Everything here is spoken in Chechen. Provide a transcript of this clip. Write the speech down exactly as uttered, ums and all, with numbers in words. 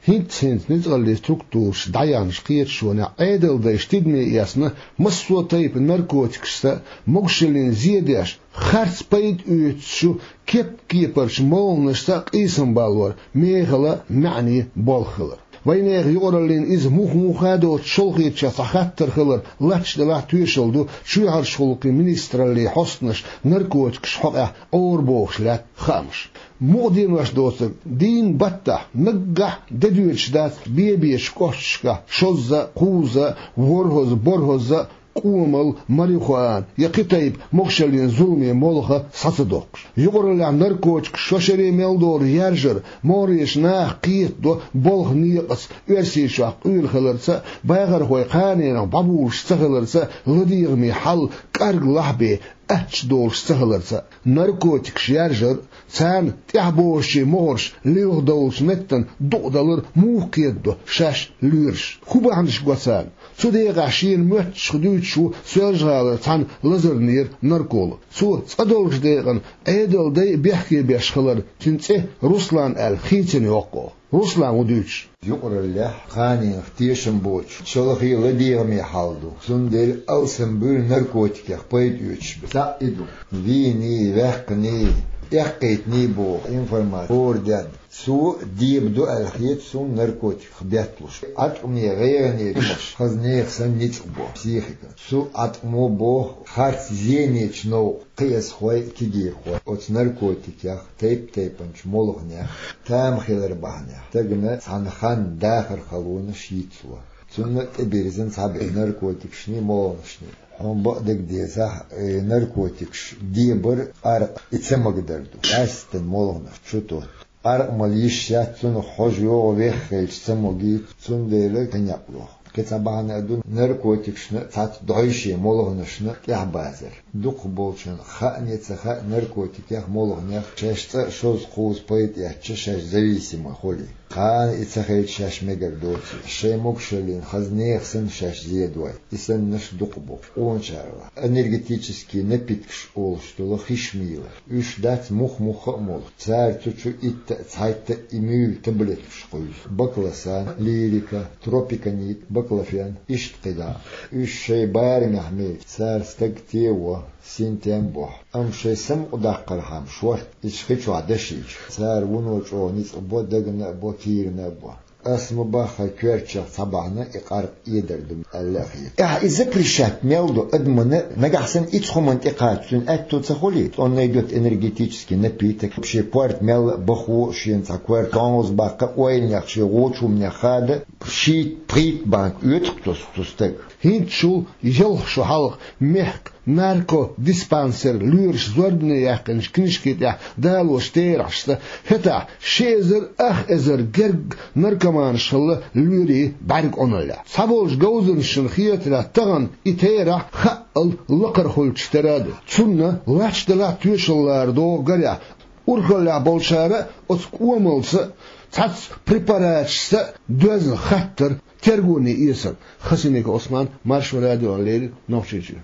ХӀинцца-хӀинцца ницкъаллин структураш дӀаяьхьначу кхеташонехь Ӏедалдайша тидаме эцна массо а тайпа наркотикашца, могушаллина зе деш, харц пайда оьцучу кеп-кепарчу молханашца къийсам балор мехала маьӀне болх хилар. Вайнехан юкъараллина иза мух-муха доцу шолхечех цхьа хаттар хилар латташ делахь тоьшалла ду чоьхьарчу гӀуллакхийн министраллин хьостанаша наркотикаш хьокъехь Ӏора бохуш лаьтта хаамаш. Мукъа денош доцург, дийнан баттахь наггахь де доьдуш дац бе-бечу кӀошташкахь шозза а, кхузза а, ворхӀазза а, борхӀазза а къомалла марихуана я кхин тайпа могушаллина зуламе молха схьа ца доккхуш. Юкъараллехь наркотикаш шо шаре мел долу яржар могӀарерчу наха кхетадо болх некъаца Оьрсийчохь къуьйла хиларца а, бахархой кханенах бӀобулуш ца хиларца а, ладегӀаме хьал кӀарглахь бен аттачу долуш ца хиларца а. Наркотикаш яржар а, царна тӀаьхьабозучийн могӀарш лилха довлучу меттана дукъадалар муха кхетадо шаьш лоьраш? ХӀун бахьанаш го царна? Цу декъехь шена моьттуш дуьйцуш ву Соьлжа-ГӀалара цхьана лазарнера нарколог. Цо цкъа долчу декъана Ӏедалдай бехке беш хилар, цуьнан цӀе Руслан аьлла хийцина йоккху. Руслан ву дуьйцуш. Юкъараллехь кханенах тешам боцуш, шалхе ладегӀаме хьал ду. Цундела алсамбуьйлу наркотикех пайда оьцуш бен. Цхьаъ и ду. Вийний, ваьккхиний, эккхийтиний боху информаци хӀора денна. Цо дебадо аьлла хета суна наркотиках бетталуш. Ӏаткъаме гӀайгӀане хаза нехан санна ницкъ бо психика. Цу Ӏаткъамо боху харц зенечу новкъа кхиазхой, кегийрхой оцу наркотикех, тайп-тайпанчу молханех тама хилар бахьанехь, стагана цхьана ханна дахар халонаш йицло. Цунна тӀебирзина цхьаберш наркотикашний, молханашний. Хьуна бакъдерг дезахь, э, наркотикаш дебар, къаркъа, и ца магадар ду. Къаьсттина молханаш чу тотту. Къаркъа мала йиш яц, цунах хьожа йогӀу веххачу ца могийта, цундела кхин некъ лоху. Кхин цхьа бахьана а ду наркотикашна а, цхьацца дӀойшен молханашна а тӀаьхьабазар. Дукхахболчунна, хаъне а ца хаъ, наркотикех, молханех шаьш цкъа а, шозза, кхузза пайда эцча, шаьш зависимый хуьлий. Кхана и ца хилча шаьш мегар доций, шайн могушаллина хаза нехан санна шаьш зедой, и саннарш дукха бу. Къоначарла энергетический напиткаш олуш долу хиш мийла. Уьш дац мух-мухха а молу. Цара цу чу итт а, цхьайтта а и муьйлу таблеткаш кхуьйсу. Баклосан, лирика, тропиконид, баклофен, иштта кхидӀа а. Уьш шайн барамехь мелча, цара стаг тево, синтем бохьу. Амма шайн самукъадаккхархьама шорта иза хи чохь дашийча, цара вуно чӀогӀа ницкъ бо, дагна а бо, кийрана а бо. Ас ма боху, хӀара коьртачех цхьа бахьана и къаркъа эдар ду аьлла а хета. Ахь и запрещать мел до адамна, нагахь санна и цхьа хӀуманна тӀекхаччалц цуьнан аьтто ца хуьлий? Он найдёт энергетический напиток, шен корта мел а бахо, шена цхьа корта тонус баккха, ойланех шен вочу хӀуманех хада, шийтта-пхийтта банка оьцу-кх цу стага. ХӀинцачул ялх шо хьалха мехкан наркодиспансер лоьраш зорбане яьккхинчу книжки тӀехь далочу терахьашца, хӀетахь ши эзар ах эзар гергга наркоманаш хилла лоьрийн бӀаьрг Ӏуналлехь. Цхьаболчу говзанчашна хетарехь, тахана и терахь хаъал лакхара хуьлучух тера а ду. Цунна лач делахь тоьшалла лара догӀу гарехь, урхаллехь болчара а оцу кӀомалца а, цхьацца препараташца а доьзна хаттар тергоне эцар. Хасаника Ӏусман, Маршо радиона леррина, Нохчийчуьра.